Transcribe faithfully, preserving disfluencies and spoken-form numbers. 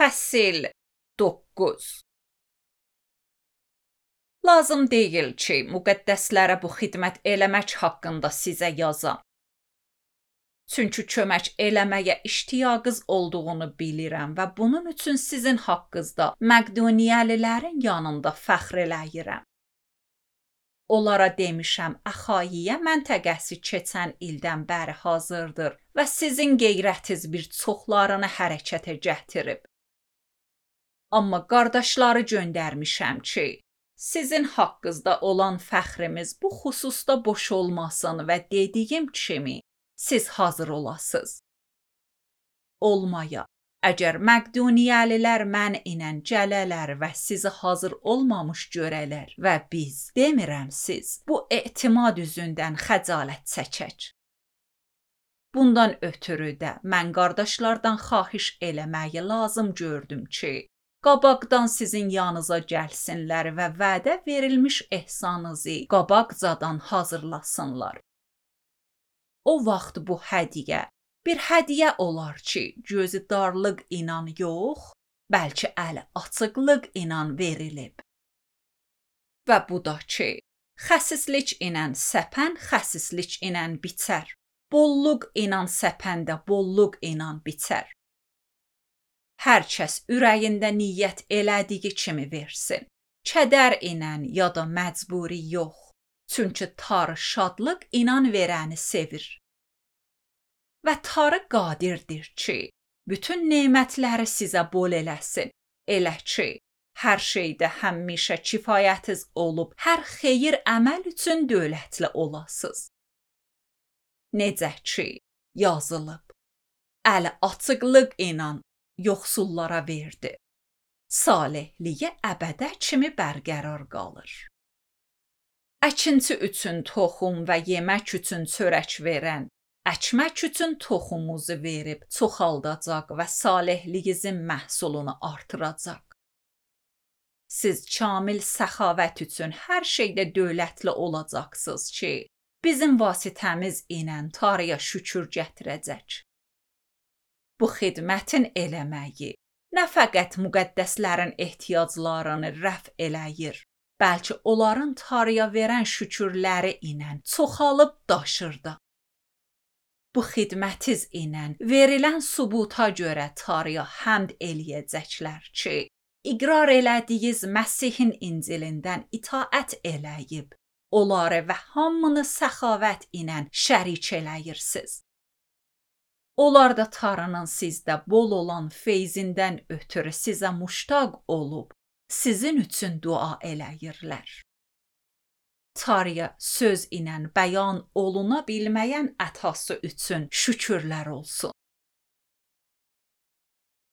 Fəsil doqquz. Lazım deyil ki, müqəddəslərə bu xidmət eləmək haqqında sizə yazam. Çünki kömək eləməyə iştiyaqınız olduğunu bilirəm və bunun üçün sizin haqqınızda Məqduniyalıların yanında fəxr eləyirəm. Onlara demişəm, Əxayiyə məntəqəsi keçən ildən bəri hazırdır və sizin qeyrətiz bir çoxlarını hərəkətə gətirib. Amma qardaşları göndərmişəm ki, sizin haqqınızda olan fəxrimiz bu xüsusda boş olmasın və dediyim kimi siz hazır olasınız. Olmaya, əgər Məqduniyalılar mən ilə gələlər və sizi hazır olmamış görələr və biz, demirəm siz, bu etimad üzündən xəcalət çəkək. Bundan ötürü də mən qardaşlardan xahiş eləməyi lazım gördüm ki, qabaqdan sizin yanınıza gəlsinlər və vədə verilmiş ehsanınızı qabaqcadan hazırlasınlar. O vaxt bu hədiyyə bir hədiyyə olar ki, gözü darlıq inan yox, bəlkə əli açıqlıq inan verilib. Və bu da ki, xəsislik inan səpən xəsislik inan biçər, bolluq inan səpəndə bolluq inan biçər. Hər kəs ürəyində niyyət elədiyi kimi versin. Kədər inan ya da məcburi yox. Çünki Tanrı şadlıq inan verəni sevir. Və Tanrı qadirdir ki, bütün nemətləri sizə bol eləsin. Elə ki, hər şeydə həmişə kifayətiz olub, hər xeyir əməl üçün dövlətli olasınız. Necə ki, yazılıb. Əli açıqlıq inan yoxsullara verdi. Salihliyi əbədə kimi bərqərar qalır. Əkinçi üçün toxum və yemək üçün çörək verən, əkmək üçün toxumunuzu verib çoxaldacaq və salihliyinizin məhsulunu artıracaq. Siz kamil səxavət üçün hər şeydə dövlətli olacaqsınız ki, bizim vasitəmiz ilə Tanrıya şükür gətirəcək. Bu xidmətin eləməyi nə fəqət müqəddəslərin ehtiyaclarını rəf eləyir, bəlkə onların Tanrıya verən şükürləri ilə çoxalıb daşırdı. Bu xidmətiz ilə verilən sübuta görə Tanrıya həmd eləyəcəklər ki, iqrar elədiyiniz Məsihin İncilindən itaət eləyib, onları və hamını səxavət ilə şərik eləyirsiniz. Onlar da Tanrının sizdə bol olan feyzindən ötürü sizə muştaq olub, sizin üçün dua eləyirlər. Tanrıya söz ilə bəyan oluna bilməyən ətası üçün şükürlər olsun.